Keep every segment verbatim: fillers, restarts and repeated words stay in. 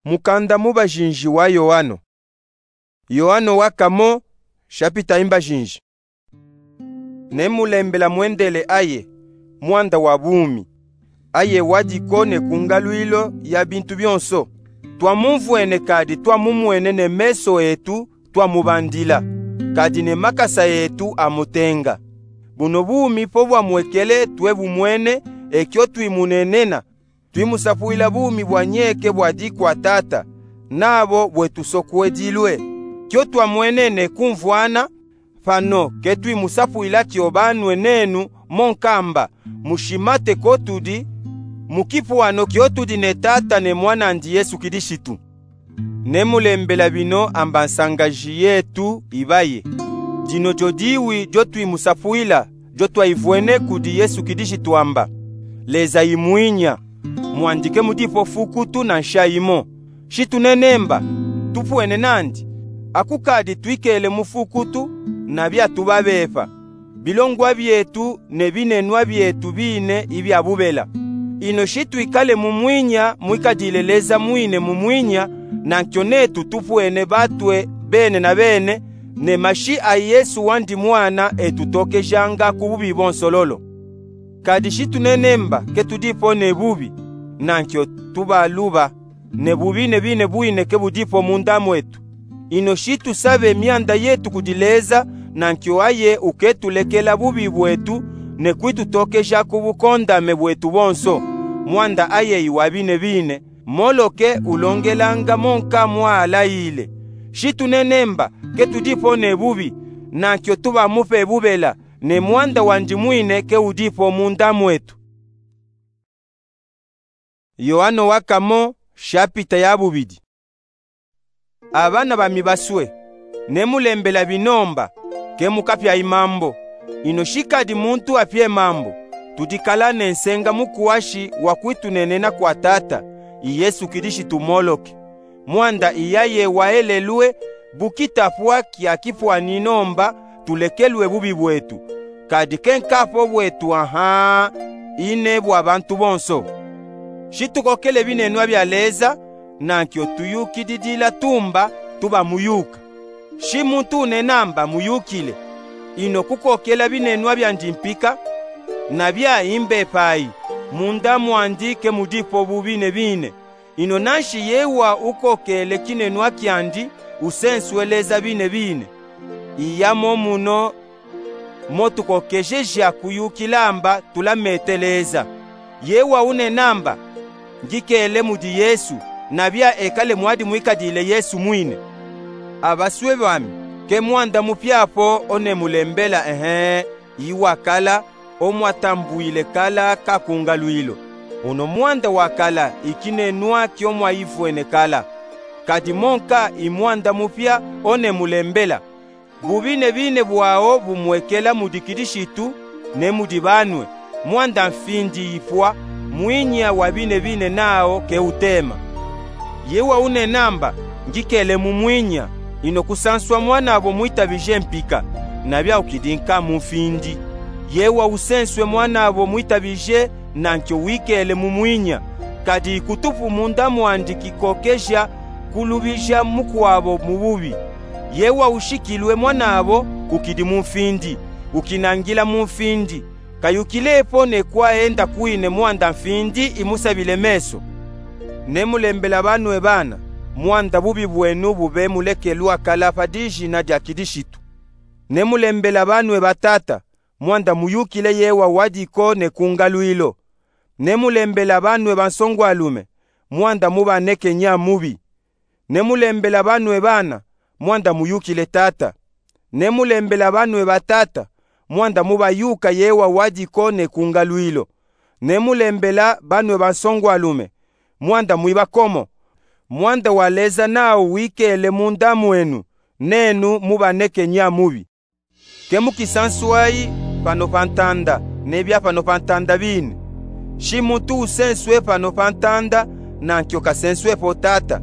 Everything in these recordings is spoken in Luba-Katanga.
Mukanda mubajinji wa Yoano. Yoano wa kamo, shapita imbajinji. Ne mulembela mwendele aye, mwanda wa bumi, aye wadiko ne kungalwilo ya bintu byonso. Twamumvwene kadi twamumwene ne meso etu, twamubandila, kadi ne makasa etu amutenga. Buno bumi po bwamwekele twebumwene, ekyo twimunenena, twimusapwila bumi bwanyeke bwadi kwa Tata, nabo bwetusokwedilwe. Kyo twamwene ne kumvwana, pano ketwimusapwila kyo banwe nenu, monkamba mushimate ko tudi mukipwano kyo tudi ne Tata ne Mwanandi Yesu Kilishitu. Ne mulembela bino amba nsangaji yetu ibaye. Dino dyo diwi dyo twimusapwila, dyo twayivwene kudi Yesu Kilishitu amba: Leza imwinya. Mwandi ke mudipo fukutu na nsha imo. Shi tunene mba, tupwene nandi, akukadi twikele mu fukutu, na bya tubabepa. Bilongwa byetu ne binenwa byetu bine ibya bubela. Ino shi twikale mu mwinya mwikadile Leza mwine mu mwinya, nankyo netu tupwene batwe bene na bene, ne mashi a Yesu wandi Mwana etutokejanga ku bubi bonsololo. Kadi shi tunene mba ke tudipo ne bubi, nankyo tubaluba, ne bubi ne bine bwine ke budipo munda mwetu. Ino shi tusabe myanda yetu kudi Leza, nankyo aye uketulekela bubi bwetu, ne kwitutokeja ku bukondame bwetu bonso. Mwanda aye iwa bine bine, moloke ulongelanga monka mwalayile. Shi tunene mba ke tudipo ne bubi, nankyo tubamupe bubela, ne mwanda wandi mwine ke udipo munda mwetu. Yoano wa kamo, shapita ya bubidi. Abana bami baswe, ne mulembela bino mba, ke mukapya imambo. Ino shi kadi muntu apye mambo, tudikala ne nsenga mukwashi wa kwitunenena kwa Tata, i Yesu Kilishitu moloke. Mwanda i yaye waelelwe, bu kitapwa kya kipwanino mba, tulekelwe bubi bwetu, kadi ke nkapo bwetu aha, ine bwa bantu bonso. Shi tukokele binenwa bya Leza, nankyo tuyukididila tumba, tuba muyuka. Shi muntu unena mba muyukile, ino kukokela binenwa byandi mpika, na bya imbepayi, munda mwandi ke mudipo bubi ne bine. Ino nanshi yewa ukokele kinenwa kyandi, usenswe Leza bine bine. Iya mo muno mo tukokejeja kuyukila mba tulamete Leza. Yewa unena mba, ngikele mudi Yesu, na bya ekale mwadi mwikadile Yesu mwine. Abaswe bami, ke mwanda mupya po one mulembela, ehe, iwakala, omwatambwile kala kakungalwilo. Uno mwanda wakala ikinenwa kyo mwayivwene kala. Kadi monka i mwanda mupya one mulembela. Bubi ne bine bwawo bumwekela mudi Kilishitu, ne mudi banwe, mwanda mfindi ipwa, mwinya wa bine bine nawo ke utema. Yewa unena mba, ngikele mu mwinya, ino kusanswa mwanabo mwitabije mpika, na bya ukidi nkamu mfindi. Yewa usenswe mwanabo mwitabije, nankyo wikele mu mwinya, kadi ikutupu munda mwandi kikokeja kulubija mukwabo mu bubi. Yewa ushikilwe mwanabo ukidi mu mfindi, ukinangila mu mfindi, kayukile po ne kwa enda kwine mwanda mfindi imusabile meso. Ne mulembela banwe bana, mwanda bubi bwenu bube mulekelwa kala pa dijina dya Kilishitu. Ne mulembela banwe batata, mwanda muyukile Yewa wadiko ne kungalwilo. Ne mulembela banwe bansongwalume, mwanda mubaneke nya mubi. Ne mulembela banwe bana, mwanda muyukile Tata. Ne mulembela banwe batata, mwanda mubayuka Yewa wadiko ne kungalwilo. Ne mulembela banwe bansongwalume, mwanda mwibakomo. Mwanda wa Leza nawu wikele munda mwenu, nenu mubaneke nya mubi. Ke mukisanswayi pano pa ntanda, ne bya pano pa ntanda bine. Shi muntu usenswe pano pa ntanda, nankyo kasenswe po Tata.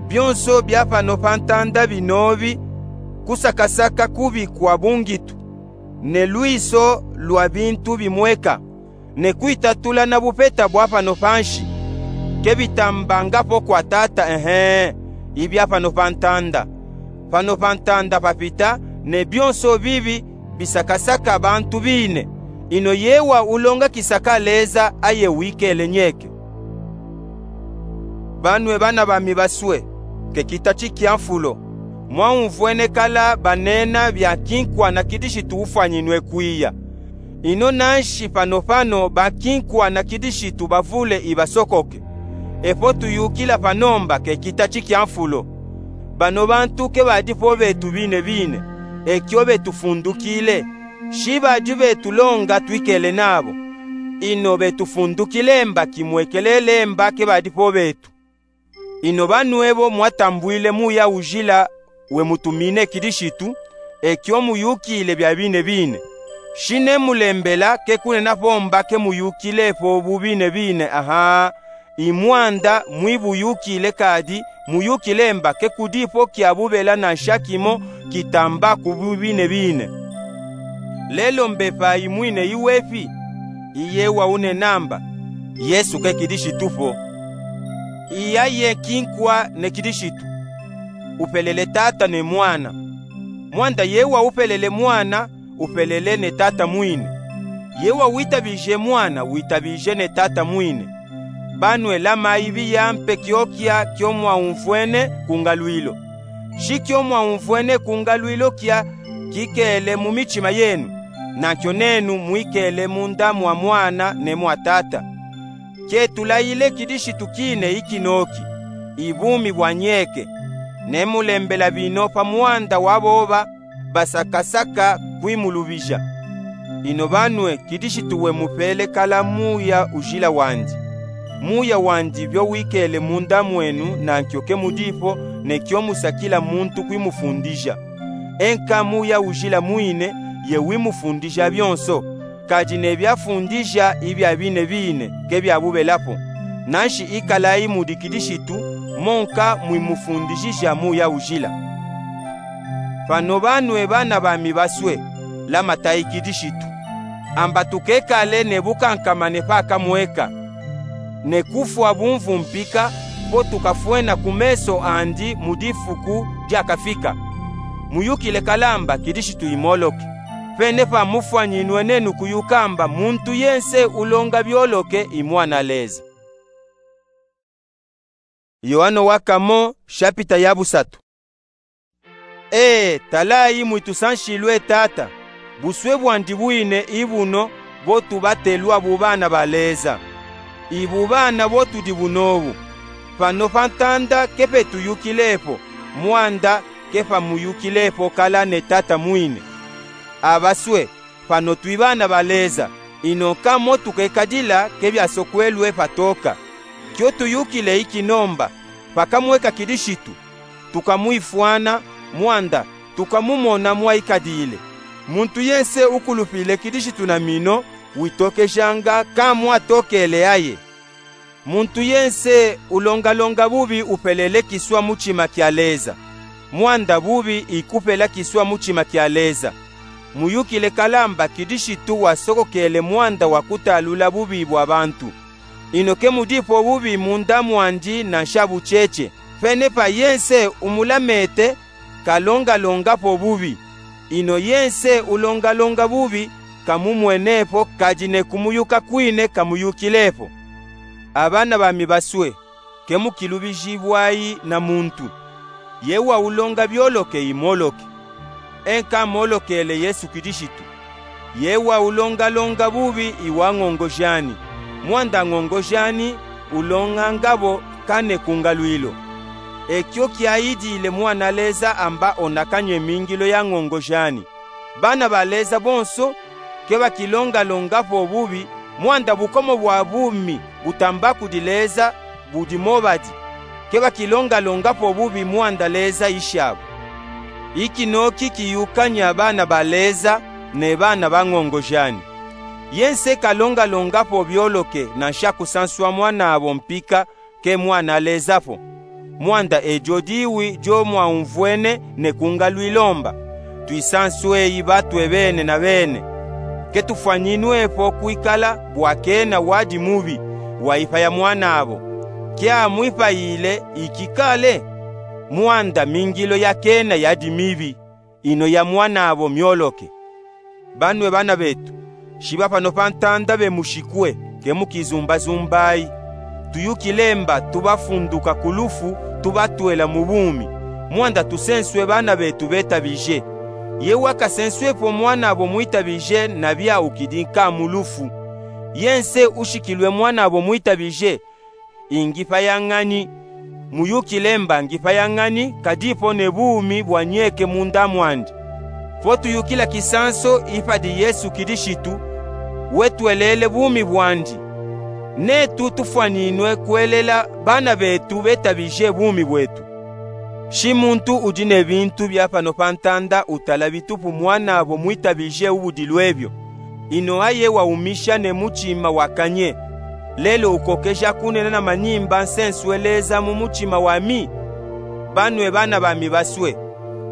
Byonso bya pano pa ntanda binobi, kusakasaka kubi kwa bungitu, ne lwiso lwa bintu bimweka, ne kwitatula na bupeta bwa pano pa nshi. ke bitambanga po kwa Tata, ehe, ibia pano pa ntanda. Pano pa ntanda papita, ne bionso bibi bisakasaka bantu bine. Ino yewa ulonga kisaka Leza aye wikele nyeke. Banwe bana bami baswe, ke kitachi kia mfulo, mwaumvwene kala banena bia kinkwa na kidishitu ufwanyinwe kwiya. Ino nanshi pano pano ba kinkwa na kidishitu bavule ibasokoke. Epo tuyukila pano mba ke kitachi kia mfulo. Bano bantu ke badi po betu bine bine, ekio betufundukile. Shi badi betu longa twikele nabo. Ino betufundukile mba kimwekele mba ke badi po betu. Ino banwebo mwatambwile muya ujila we mutumine kidishitu, ekio muyukile bia bine bine. Shi ne mulembela ke kunena po mba ke muyukile po bu bine bine, aha, i mwanda mwibuyukile kadi muyukile mba ke kudi po kia bubela nansha kimo kitamba ku bu bine bine. Lelo mbepa imwine iwepi? Iye wa unena mba, Yesu ke kidishitu po. Iya ye kinkwa ne kidishitu. Upelele Tata ne Mwana. Mwanda ye wa upelele Mwana, upelele ne Tata mwine. Ye wa witabije Mwana, witabije ne Tata mwine. Banwe lama ibi ya mpe kiokia kio mwaumvwene ku ngalwilo. Shi kio mwaumvwene ku ngalwilo kia kikele mu michima yenu, nakio nenu mwikele munda mwa Mwana ne mwa Tata. Ke tulayile kidishitu kine ikinoki, ibumi bwa nyeke. Ne mulembela bino pa mwanda wa boba basakasaka kwimulubija. Ino banwe kidishitu we mupele kala muya ujila wandi. Muya wandi bio wikele munda mwenu, nankio ke mudi po, ne kio musakila muntu kwimufundija. Enka muya ujila mwine ye wimufundija bionso, kadi ne biafundija ibia bine bine ke bia bubela po. Nanshi ikalayi mudi kidishitu, monka mwimufundijija muya ujila. Pano banwe bana bami baswe, lamatayi kidishitu. Amba tukekale ne bukankamane pa kamweka, ne kufwa bumvu mpika, po tukafwena ku meso andi mu difuku diakafika. Muyukile kala mba kidishitu imoloke. Pene pa mufwanyinwe nenu kuyuka mba muntu yense ulonga bioloke i mwana Leza. Yoano wa kamo, shapita ya busatu. Ee, talayi mwitusanshilwe Tata, buswe bwandi bwine ibuno, bo tubatelwa bu bana ba Leza. I bubana bo tudi bunobu. Pano pa ntanda ke pe tuyukile po, mwanda ke pa muyukile po kala ne Tata mwine. Abaswe, pano twi bana ba Leza, ino nka mo tukekadila ke biasokwelwe patoka. Kio tuyukile ikino mba, pa kamweka kidishitu, tukamwifwana, mwanda tukamumona mwaikadile. Muntu yense ukulupile kidishitu na mino, witokejanga nka mwatokele aye. Muntu yense ulongalonga bubi upelele kiswa muchima kia Leza. Mwanda bubi ikupela kiswa muchima kia Leza. Muyukile kala mba kidishitu wasokokele mwanda wa kutalula bubi bwa bantu. Ino ke mudi po bubi munda mwandi nansha bucheche. Pene pa yense umulamete kalongalonga po bubi. Ino yense ulongalonga bubi kamumwene po, kadi ne kumuyuka kwine kamuyukile po. Abana bami baswe, ke mukilubijibwayi na muntu. Ye wa ulonga bioloke imoloke. Enka molokele Yesu Kidishitu. Ye wa ulongalonga bubi iwa ngongojani. Mwanda ngongojani ulonganga bo kane ku ngalwilo. Ekyo kyayidile mwana Leza amba ona kanywe mingilo ya ngongojani. Bana ba Leza bonso ke bakilongalonga po bubi, mwanda bukomo bwa bumi butamba kudi Leza budi mo badi. Ke bakilongalonga po bubi mwanda Leza ishabo. Ikino ki kiyukanya bana ba Leza ne bana ba ngongojani. Yense kalongalonga po bioloke nansha kusanswa mwanabo mpika ke mwana Leza po. Mwanda ejo diwi jo mwaumvwene ne ku ngalwilo mba. Twisansweyi batwe bene na bene. Ke tufwanyinwe po kwikala bwa kena wadi mubi, wayipaya mwanabo. kya mwipayile ikikale? Mwanda mingilo yakena yadi mibi, ino ya mwanavo myoloke. Banwe bana betu, shiba pano pa ntanda bemushikwe, ke mukizumbazumbayi. Tuyukile mba tubafunduka ku lufu, tubatwela mu bumi, mwanda tusenswe bana betu betabije. Ye wakasenswepo mwanavo mwitabije, nabyaukidi nka mu lufu. Ye nse ushikilwe mwanavo mwitabije, ingipaya ñani? Muyukile mba ngipaya ñani, kadipo ne bumi bwanyeke munda mwandi. Potuyukila kisanso ipadi Yesu Kilishitu, wetwelele bumi bwandi. Netu tufwaninwe kwelela bana betu betabije bumi bwetu. Shi muntu udi ne bintu bya pano pa ntanda utala bitupu mwanavo mwitabije ubudilwebyo. Ino aye waumisha ne muchima wakanye. Lelo ukokeja kunena na manimba nsenswe Leza mu muchima wami? Banwe bana bami baswe,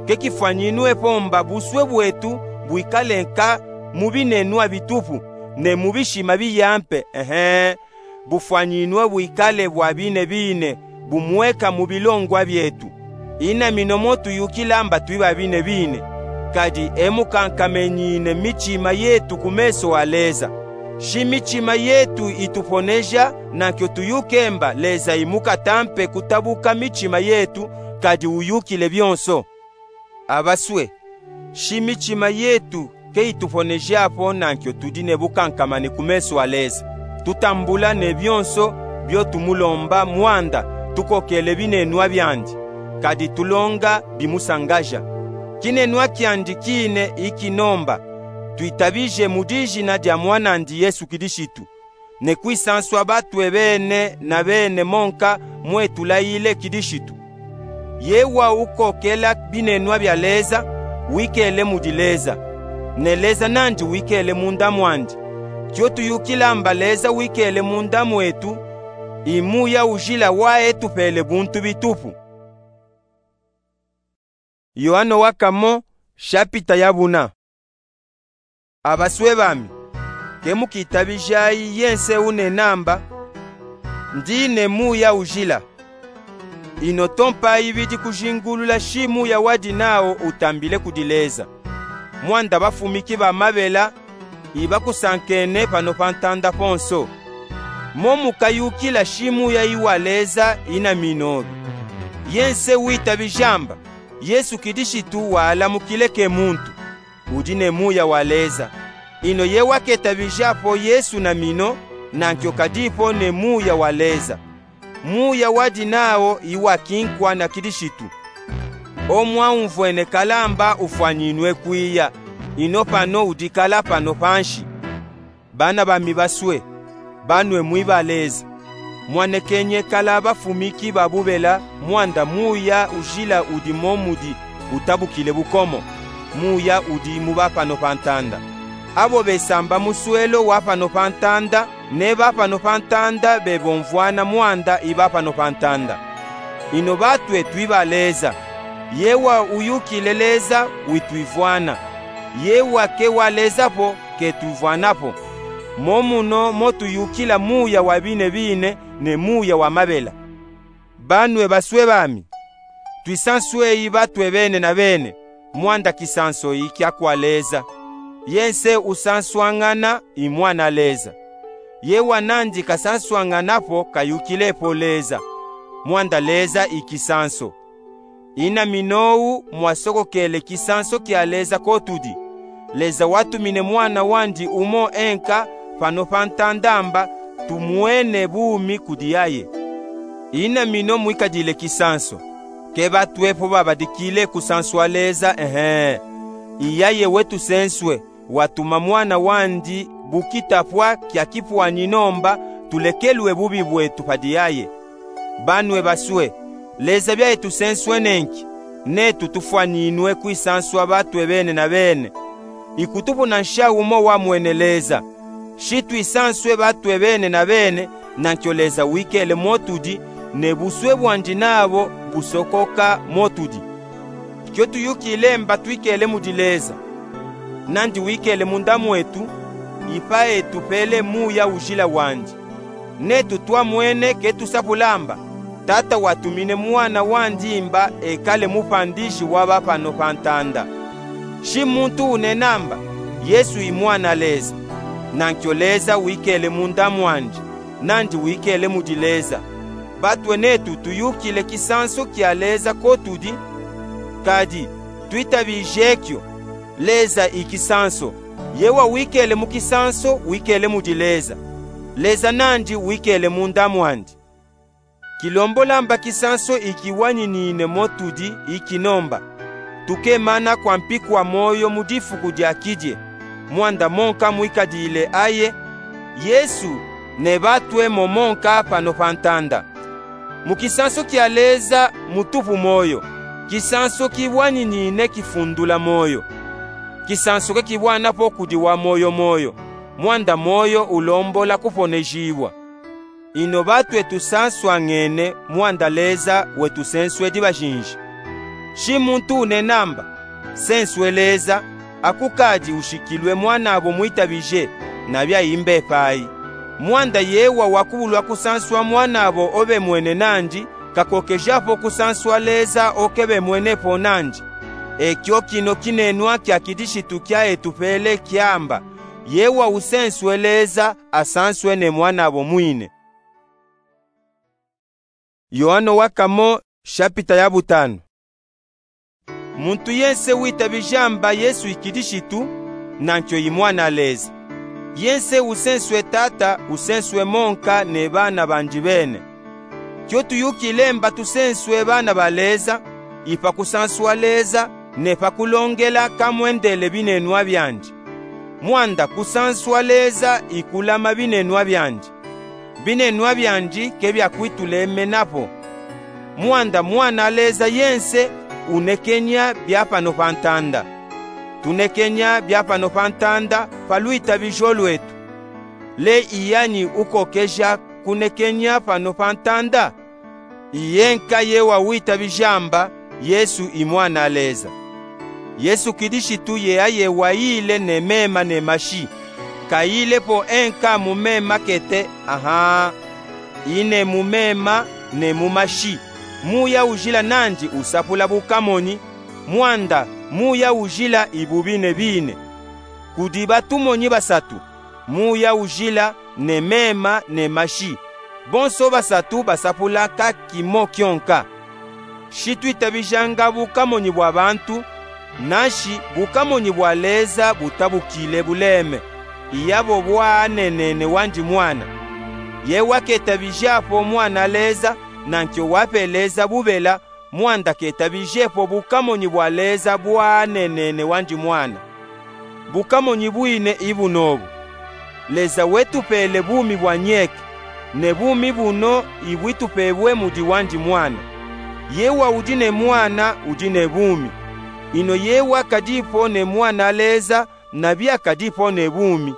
ke kifwaninwepo mba buswe bwetu bwikale nka mu binenwa bitupu, ne mu bishima biyampe, ehe, bufwaninwe bwikale bwa bine bine, bumweka mu bilongwa byetu. Ina mino motuyukila mba twiba bine bine, kadi emukankamenyine michima yetu ku meso a Leza. Shi michima yetu ituponeja, nankyo tuyuke mba Leza imukatampe kutabuka michima yetu, kadi uyukile byonso. Abaswe, shi michima yetu ke ituponejapo, nankyo tudi ne bukankamane ku meso a Leza. Tutambula ne byonso byo tumulomba, mwanda tukokele binenwa byandi, kadi tulonga bimusangaja. Kinenwa kyandi kine ikinomba twitabije mu dijina dya mwanandi Yesu Kilishitu, ne kwisanswa batwe bene na bene monka mwetulayile Kilishitu. Ye wa ukokela binenwa bya Leza, wikele mudi Leza, ne Leza nandi wikele munda mwandi. Kyo tuyukila mba Leza wikele munda mwetu, i Muya Ujila wa etupele buntu bitupu. Yoano wa kamo, shapita ya buna. Abaswe bami, ke mukitabijayi ye nse unena mba, ndi ne Muya Ujila. Ino tompa ibidi kujingulula shi muya wadi nawo utambile kudi Leza. Mwanda bafumiki ba mabela ibakusankene pano pa ntanda ponso. Mo mukayukila shi muya iwa Leza ina minobi. Ye nse witabija mba Yesu Kilishitu walamukile ke muntu, udi ne Muya wa Leza. Ino ye waketabijapo Yesu na mino, nankyo kadipo ne Muya wa Leza. Muya wadi nawo iwa kinkwa na Kilishitu. O mwaumvwene kala mba ufwaninwe kwiya, ino pano udikala pano panshi. Bana bami baswe, banwe mwiba Leza, mwanekenye kala bafumiki ba bubela, mwanda Muya Ujila udi mo mudi utabukile bukomo, muya udi mu ba pano pa ntanda. Abo besamba muswelo wa pano pa ntanda, ne ba pano pa ntanda bebomvwana mwanda i ba pano pa ntanda. Ino batwe twiba Leza. Ye wa uyukile Leza witwivwana. Ye wa ke wa Leza po ketwivwana po. Mo muno mo tuyukila muya wa bine bine ne muya wa mabela. Banwe baswe bami, twisansweyi batwe bene na bene, mwanda kisanso i kya kwa Leza. Ye nse usanswañana i mwana Leza. Ye wa nandi kasanswañana po kayukilepo Leza, mwanda Leza i kisanso. Ina minowu mwasokokele kisanso kya Leza ko tudi. Leza watumine mwana wandi umo enka pano pa ntanda mba tumwene bumi kudi yaye. Ina mino mwikadile kisanso. Ke batwe po babadikile kusanswa Leza, ehe. I yaye wetusenswe, watuma mwana wandi bu kitapwa kya kipwanino mba tulekelwe bubi bwetu padi yaye. Banwe baswe, Leza bya etusenswene nki? Netu tufwaninwe kwisanswa batwe bene na bene. Ikutupuna nsha umo wamwene Leza. Shi twisanswe batwe bene na bene, nankyo Leza wikele mo tudi, ne buswe bwandi nabo busokoka mo tudi. Kyo tuyukile mba twikele mudi Leza, nandi wikele munda mwetu, ipa etupele Muya Ujila wandi. Netu twamwene ketusapula mba Tata watumine Mwana wandi mba ekale mupandishi wa ba pano pa ntanda. Shi muntu unena mba Yesu i Mwana Leza, nankyo Leza wikele munda mwandi, nandi wikele mudi Leza. Batwe netu tuyukile kisanso kia Leza ko tudi, kadi twitabije kyo: Leza i kisanso. Ye wawikele mu kisanso wikele mudi Leza, Leza nandi wikele munda mwandi. Kilombola mba kisanso ikiwaninine mo tudi ikino mba tukemana kwa mpikwa moyo mu difuku dia kidie, mwanda monka mwikadile aye, Yesu, ne batwe mo monka pano pa ntanda. Mu kisanso kia Leza mutupu moyo, kisanso kiwaninine kifundula moyo. Kisanso ke kibwana po kudi wa moyo moyo, mwanda moyo ulombola kuponejibwa. Ino batwe tusanswangene mwanda Leza wetusenswedi bajinji. Shi muntu unena mba senswe Leza, akukadi ushikilwe mwanabo mwitabije, nabia imbepayi. Mwanda yewa wakubulwa kusanswa mwanabo obemwene nandi kakokejapo kusanswa Leza okebemwene po nandi. Ekyo kino kinenwa kia kidishitu kia etupele kiamba: Yewa usenswe Leza asanswe ne mwanabo mwine. Yoano wa kamo, shapita ya butanu. Muntu yense witabija mba Yesu i Kidishitu, nankyo i Mwana Leza. Yense usenswe Tata usenswe monka ne bana bandi bene. Kyo tuyukile mba tusenswe bana ba Leza, i pa kusanswa Leza, ne pa kulongela kamwendele binenwa biandi. Mwanda kusanswa Leza i kulama binenwa biandi. Binenwa biandi ke bia kwitulemena po. Mwanda Mwana Leza yense unekenya bia pano pa ntanda. Tunekenya bia pano pa ntanda pa lwitabijo lwetu. Le i yani ukokeja kunekenya pano pa ntanda? I yenka yewa witabija mba Yesu i Mwana Leza. Yesu Kidishitu ye aye wayile ne mema ne mashi. Kayile po enka mu mema kete, aha, ine mu mema ne mu mashi. Muya ujila nandi usapula bukamonyi, mwanda muya ujila i bubi ne bine. Kudi batumonyi basatu, muya ujila, ne mema, ne mashi. Bonso basatu basapula ka kimo kyonka. Shi twitabijanga bukamonyi bwa bantu, nanshi bukamonyi bwa Leza butabukile buleme, i yabo bwaanenene wandi Mwana. Yewa ketabija po Mwana Leza, nankyo wa pe Leza bubela, mwanda ketabije po bukamonyi bwa Leza bwaanenene wandi Mwana. Bukamonyi bwine i buno obu: Leza wetupele bumi bwa nyeke, ne bumi buno i bwitupebwe mudi wandi Mwana. Yewa udi ne Mwana udi ne bumi. Ino yewa kadipo ne Mwana Leza, nabia kadipo ne bumi.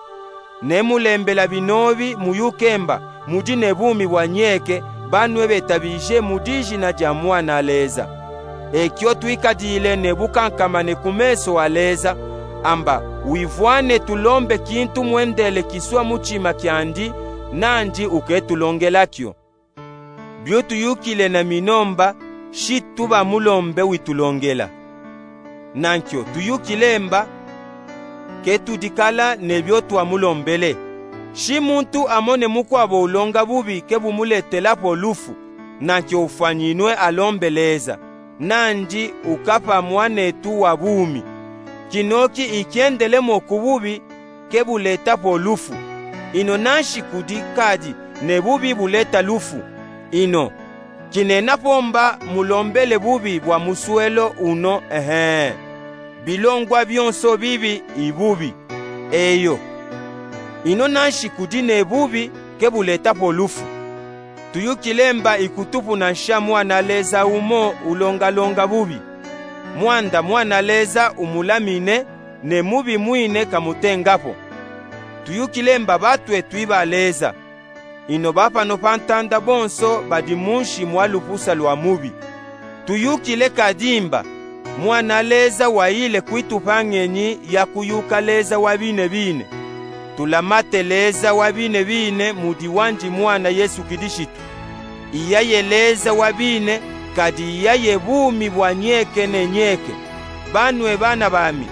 Nemulembela binobi muyuke mba mudi ne bumi bwa nyeke, banwe betabije mu dijina dia Mwana Leza. Ekyo twikadile ne bukankamane ku meso a Leza, amba wivwane tulombe kintu mwendele kiswa mutima kiandi, nandi uketulongela kyo. Bio tuyukile na mino mba, shi tubamulombe witulongela. Nankyo tuyukile mba, ketudikala ne bio twamulombele. Shi muntu amone mukwabo ulonga bubi ke bumuletela po lufu, nankyo ufwanyinwe alombe Leza, nandi ukapa mwanetu wa bumi. Kinoki i kyendele mo ku bubi ke buleta po lufu. Ino nanshi kudi kadi ne bubi buleta lufu. Ino kinena po mba mulombele bubi bwa muswelo uno, ehe. Bilongwa byonso bibi i bubi. Eyo. Ino nanshi kudi ne bubi ke buleta po lufu. Tuyukile mba i kutupuna nsha mwana Leza umo ulongalonga bubi. Mwanda mwana Leza umulamine, ne mubi mwine kamutenga po. Tuyukile mba batwe twiba Leza. Ino ba pano pa ntanda bonso badi munshi mwa lupusa lwa mubi. Tuyukile kadi mba mwana Leza wayile kwitupa ngenyi ya kuyuka Leza wa bine bine. Tulamate Leza wa biine biine mu diwanji Mwana Yesu Kilishitu. Iya ye Leza wa biine, kadi iya ye bumi bwa nyeke ne nyeke. Banwe bana bami,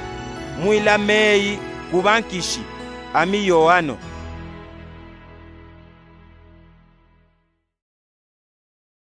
mwilame eyi ku bankishi, ami Yoano.